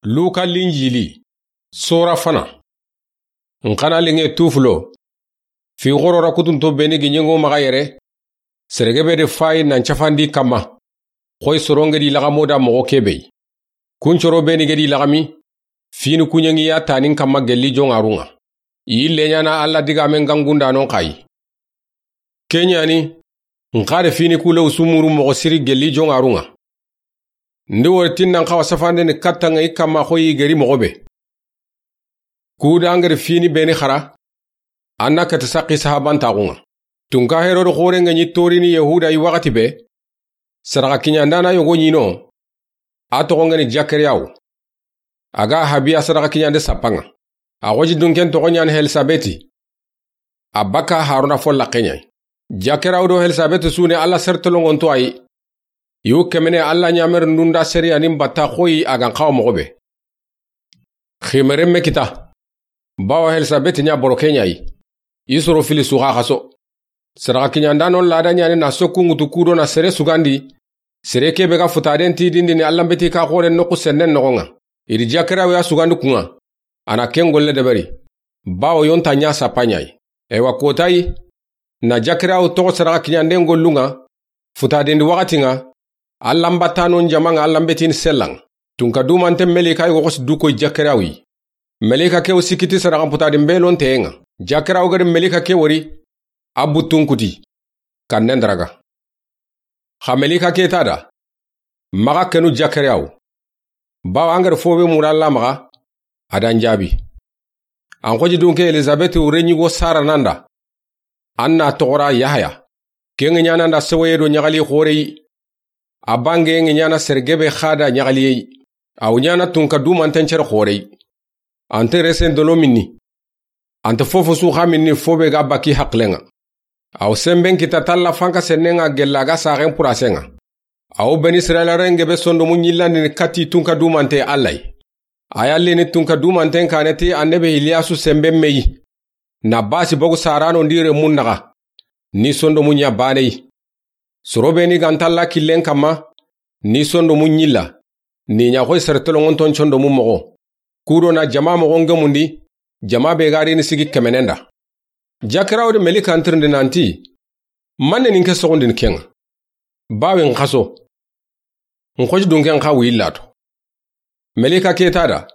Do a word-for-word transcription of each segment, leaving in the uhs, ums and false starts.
Luka Linjili, sora fana. N xa na liŋe tufulo. Fi xoro ra kutunto beni gi ɲeŋo maxa yere. Sere gebe de fayi nan cafandi kamma. Xoyi soronge di laxamo da moxo kebe yi. Kuncoro beni ge di laxami. Fini kuɲeŋi ya tanin kamma gelli joŋarun ŋa. I yille ɲana Alla digamen gangundanon xa yi. Ke ɲa ni, n xa de fini kule usumuru moxo siri gelli joŋarun ŋa. Ndi wori tinnan xawa safande ni kattaŋa i kamma xoyi geri moxo be. Kuda angeri fini beni xara, an na kati saqi sahabantaxun ŋa. Tunka Herode xorenŋe ɲi torini Yahuda yi waxati be, sadaxa kiɲandana yogo ɲino, a toxonŋeni Jakariyawu. A ga habiya sadaxa kiɲande sappaŋa. A xoji dunken toxo ɲani Helisabeti. A bakka Haruna fo laxe ɲa yi. Jakariyawu do Helisabeti su ni Alla sertelonŋonto a yi. Yu kemene Alla ɲameri ndunda seriyanin batta xoyi a gan xawa moxo be. Ximeren me kita. Bawa Helisabeti ɲa boro ke ɲa yi. I soro fili su xa xaso. Sadaxa kiɲandanon lada ɲani na sokku ŋutu kudo na sere sugandi. Sere kebe ga futaden tidindini Allanbeti ka xoren noxu sennen noxon ŋa. I di Jakariyawu ya sugandi kun ŋa. A na ken golle deberi. Bawo yonta ɲa sappa ɲa yi. Ewa kotayi. Na Jakariyawu toxo sadaxa kiɲanden gollun ŋa. Futadendi waxatin ŋa. Allanbattanon jaman ŋa Allanbetini sellan ŋa. Tunka dumanten melika yi woxosi dukoyi Jakariyawu yi. Melika ke wo sikiti sadaxan putadin belon teyen ŋa. Jakariyawu gadi melika ke wori. A buttun kuti. Kannen daraga. Xa melika ke ta da. Maxa kenu Jakariyawu. Bawa angeri fo be mura Alla maxa. A dan jaabi. An xoji dunke Elisabeti wure ɲigo Sara nanda. An na toxora Yahaya. Ken ŋe ɲana nda sewoye do ɲaxali xoreyi. A bange ŋe ɲana sergebe xada ɲaxaliyeyi. Aw ɲana tunka dumanten cere xoreyi. Ante resen dolo minni. Ante fofo su xa minni fo be ga baki haqilen ŋa. Aw semben kita talla fanka sennen ŋa gella ga saxen purasen ŋa. Aw beni Israila renge be sondomu ɲillandini kati tunka dumante Alla yi. A yallini tunka dumanten kane ti annabi Iliyasu semben meyi. Na basi bogu sarano ndire mun naxa. Ni sondomu ɲa baneyi. Soro beni gantalla killen kamma. Ni sondomu ɲilla. Ni ɲa xoy sere tolongonton condomu moxo. Kudo na jama moxon gemundi. Jama be garini sigi kemenen da. Jakirawo de melika ntirindi nanti. Manne nin ke soxondini ken ŋa. Bawe n xaso. N xoji dunken xa wuyi lato. Melika ke ta da.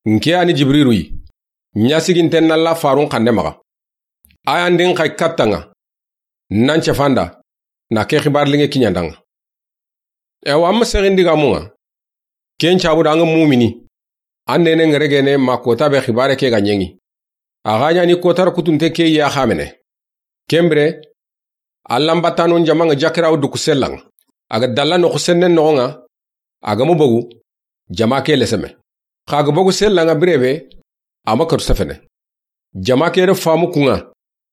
N ke ani Jibrilu yi. Ɲa siginten nalla farun xande maxa. Ayandin xay kattan ŋa. Nan cefanda. Na ke xibar linge kiɲandan ŋa. Ewa amma sexin digamun ŋa. Ken cabu da an ga mumini. An nene ŋeregene ma kota be xibare ke ga ɲeŋi. A ga ɲani kotara kutunte ke ya xamene. Kembire. Allanbattanon jaman ŋa Jakirawo duku sellan ŋa. A ga dalla noxu sennen noxon ŋa. A ga mu bogu. Jama ke leseme. Xa ga bogu sellan ŋa birebe. A ma katu sefene. Jama ke de famu kun ŋa.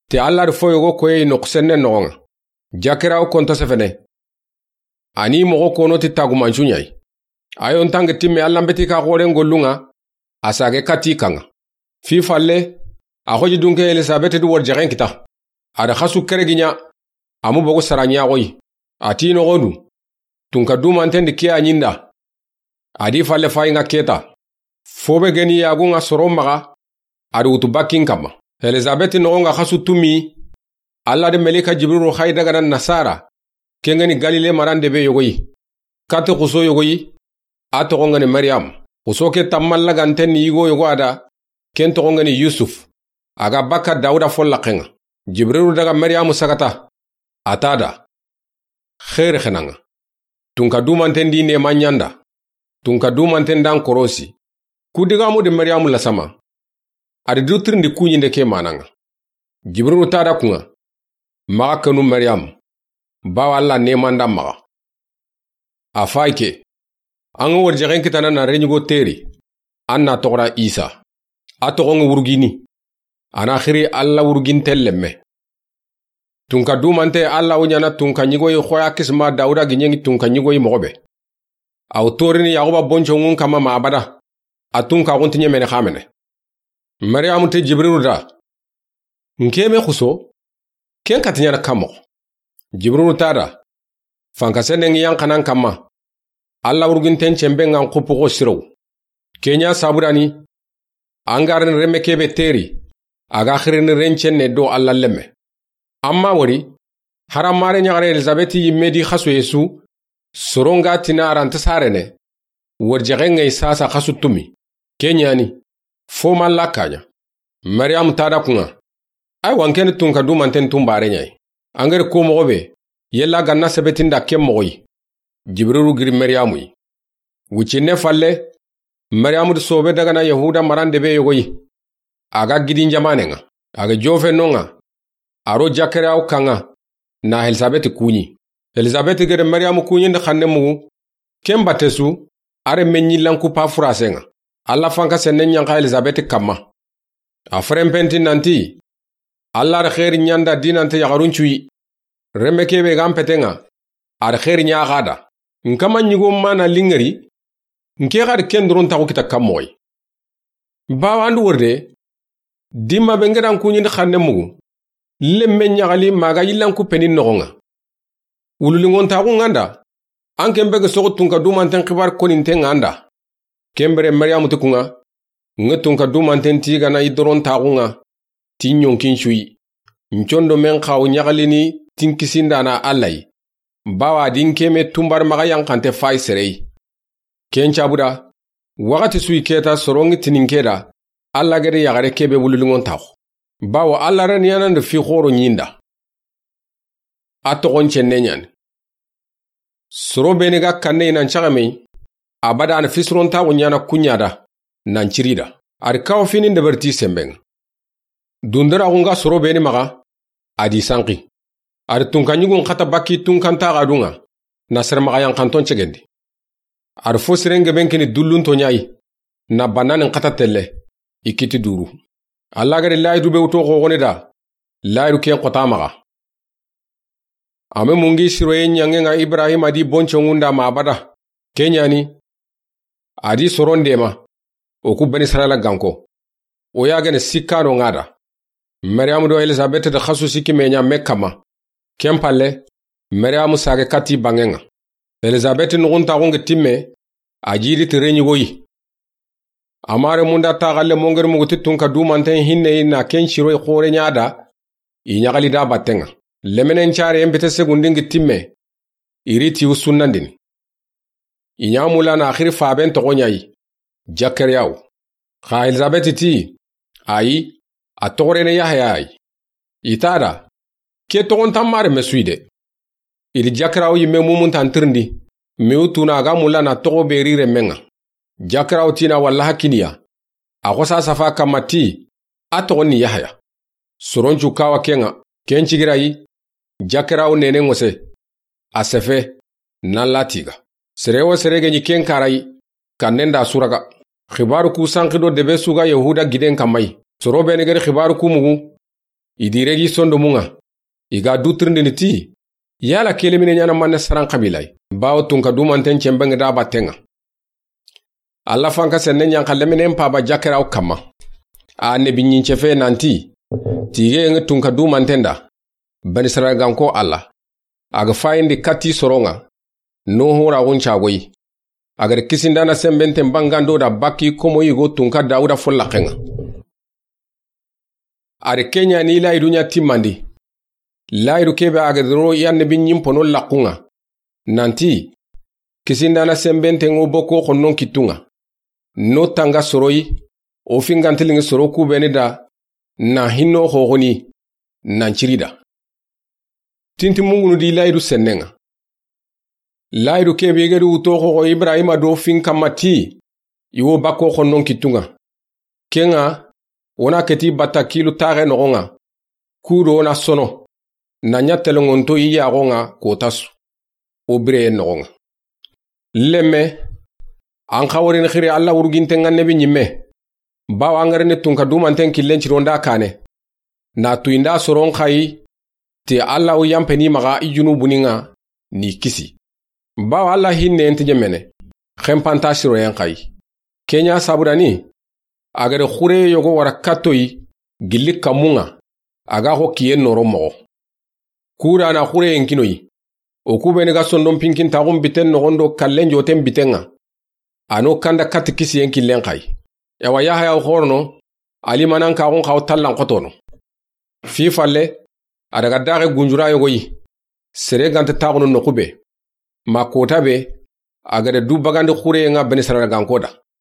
Te Alla de fo yogo koyeyi noxu sennen noxon ŋa. Jakirawo konto sefene. Ani moxo kono ti tagumancu ɲa yi. Ayo ntange timme Allanbeti ka xoren gollun ŋa. A sage kati kan ŋa. Fi falle. A xoji dunke Elisabeti du wor jaxen kita. A da xasu kere gi ɲa. A mu bogu sara ɲa xoyi. A ti noxo du. Tunka dumanten di ke a ɲinda. A di falle fayi ŋa keta. Fo be geni yagun ŋa soro maxa. A di wutu bakkin kamma. Elisabeti noxon ŋa xasu tumi. Alla de melika Jibrilu xayi daga na nasara. Ken ŋeni Galile marande be yogoyi. Kati xuso yogoyi. A toxon ŋeni Mariyamu. Xuso ke tammallaganten ni yigo yogo a da. Ken toxon ŋeni Yusuf. A ga bakka Dawuda fo laxen ŋa. Jibrilu daga Mariyamu sagata. A ta da. Xeeri xenan ŋa. Tunka dumanten di nema ɲanda. Tunka dumanten dan korosi. Ku digamu de Mariyamu lasama. A di du tirindi kuɲinde ke manan ŋa. Jibrilu ta da kun ŋa. Maxa kenu Mariyamu. Bawa Alla nemandan maxa. A fayi ke. An ga wori jaxen kitana na reɲigo teri. An na toxora Isa. A toxon ŋa wurugini. A na xiri Alla wuruginten lemme. Tunka dumante Alla wo ɲana tunka ɲigoyi xoya kisma Dawuda gi ɲeŋi tunka ɲigoyi moxo be. Aw torini Yaxuba bonconŋun kamma ma abada. A tunka xunti ɲemene xamene. Mariyamu ti Jibrilu da. N ke me xuso. Ken kati ɲana kan moxo. Jibrilu ta da. Fanka senen ŋi yan xanan kamma. Alla wuruginten cemben ŋa n xupu xo sirow. Ken ɲa sabu da ni, an ga ri renme ke be teri, a ga xirini rencenne do Alla lenme. Amma wori, haramare ɲaxare Elisabeti yimme di xasoye su, soron ga tini a ra nta sarene, wori jaxe ŋa yi sasa xasu tumi. Ken ɲa ni, fo ma Alla kaɲa. Mariyamu ta da kuŋa. Aywa, n ke ni tunka dumanten tunbare ɲa yi. An ga ri ko moxo be, yella ga na sebetin da ken moxo yi. Jibirilu giri Mariyamu yi. Wucinne falle, Mariyamu di sobe daga na Yahuda marande be yogo yi. A ga gidin jamanen ŋa. A ga jofe non ŋa. A ro Jakariyawu kan ŋa, na Elisabeti kuɲi. Elisabeti gere Mariyamu kuɲindi xanne mugu, ken batte su, a renme ɲillan kupa furasen ŋa. Alla fanka senne ɲanxa Elisabeti kanma. A ferenpenti nanti, Alla da xeeri ɲa n da dinante yaxarun cu yi. Renme ke be ga n peten ŋa, a da xeeri ɲa xa da. N kama ɲigo ma na liŋeri, n ke xa da ken doron taxu kita kan moxo yi. Bawo an du wori de, dimma be n ga da n kuɲindi xanne mugu, lenme ɲaxali ma ga yillan kuppeni noxon ŋa. Wululiŋontaxu ŋa n da, an ken be ga soxo tunka dumanten xibari koninten ŋa n da. Ken bire Mariyamu ti kuŋa, n ga tunka dumanten ti ga na i doron taxu ŋa, ti ɲonkin su yi. N condo men xawo ɲaxalini ti n kisindaana Alla yi. Bawo a di n ke me tunbari maxa yanxante fayi sere yi. Ken cabu da, waxati su yi keta soron ŋa tini n ke da, Alla gede yaxare ke be wululiŋontaxu. Bawo Alla ra ni yanandi fi xoro ɲi n da. A toxon cenne ɲa ni. Soro be ni ga kanne i nan caxame yi, abada a na fisirontaxu ɲaana kuɲa da, nan ciri da. A di kawo fini n deberi ti senben ŋa. Dunderaxu n ga soro be ni maxa, a di sanqi. A di tunka ɲigun xata bakki tunkantaxadun ŋa, na sere maxa yanxanton cegendi. A di fo siren geben kini dullunto ɲa yi, na bannanin xata telle, i kiti duru. Alla gede layidu be wuto xoxone da, layidu ken xota maxa. A me mungi siroye ɲanŋen ŋa Ibrahima di bonconŋun da ma abada. Ken ɲa ni, a di soron dema, o ku Bani Israila ganko. O ya gene sikkano ŋa da. Mariyamu do Elisabeti da xasu sikki me ɲa me kanma. Ken palle, Mariyamu sage kati banŋen ŋa. Elisabeti nuxuntaxun ga timme, a jidi ti reɲigo yi. Amare munda taxalle mongeri mugu ti tunka dumanten hinne yi na ken siroyi xore ɲa da, i ɲaxali da batten ŋa. Lemenen care yen bete segundi n ga timme, i ri ti u sunnandini. I ɲa mula na xiri faben toxo ɲa yi, Jakariyawu. Xa Elisabeti ti, ayi, a toxorene Yahaya yi. I ta da, ke toxontan mare me su yi de. I di Jakariyawu yimme mumuntan tirindi, mi u tuna a ga mula na toxo be ri renmen ŋa. Jakariyawu tina walla hakiniya. A xosa safa kanma ti, a toxon ni Yahaya. Soroncu kawa ken ŋa, ken cigira yi, Jakariyawu nene ŋose. A sefe, nan la tiga. Sere wo sere ge ɲi ken kara yi, kannen da suraga. Xibaru ku sanqi do debe su ga Yahuda giden kanma yi. Soro be ni gedi xibaru ku mugu, i di regi sondomun ŋa. I ga du tirindini ti, yala ke lemine ɲaana manne saran xabila yi. Bawo tunka dumanten cenben ga da batten ŋa. Alla fanka senne ɲanxa leminen paba Jakariyawu kanma. A annabi ɲincefe nanti, tige ŋa tunka dumanten da, Bani Israila ganko Alla. A ga fayindi kati soron ŋa, no horaxun cagoyi. A gada kisindaana senbenten bangando da bakki komo yigo tunka Dawuda follaxen ŋa. A da ken ɲa ni layidu ɲa timmandi. Layidu ke be a gada ro i annabi ɲimpono laxun ŋa. Nanti, kisindaana senbenten ŋo boko xonnon kittun ŋa. No tanga soroyi, o fingantiliŋi soro ku be ni da, na hinno xoxoni, nan ciri da. Tinti mungunu di layidu sennen ŋa. Layidu ke be i gedi wuto xoxo Ibrahima do fin kanma ti, i wo bakko xonnon kittun ŋa. Ken ŋa, wo na keti batta kilu taxe noxon ŋa. Kudo na sono, na ɲa telenŋonto i yaxon ŋa kota su. O bireye noxon ŋa. Lemme, an xa worini xiri Alla wuruginten ŋa nebi ɲimme. Bawo an ga rini tunka dumanten killen cironda kane. Na tuyinda soron xayi, ti Alla wo yanpeni maxa i junubuni ŋa, ni kisi. Bawo Alla hinne nti ɲemene, xenpanta siroyen xayi. Ken ɲa sabu da ni, a gada xure yogo wara kattoyi, gilli kanmun ŋa, a ga xo kiyen noro moxo. Kuda na xureyen kinoyi, o ku be ni ga sondon pinkintaxun biten noxon do kallen joten biten ŋa. A n'o kanda katti kisiyen killen xa yi. Yawa Yaxaya wo xoorono, a limaanankaaxun xa wo tallan xotono. Fi falle, a daga daaxe gunjura yogo yi. Sere ga nta taaxunu noqu be. Ma koota be, a ga da du bagandi xureyen ŋa Benisirayila ganko da.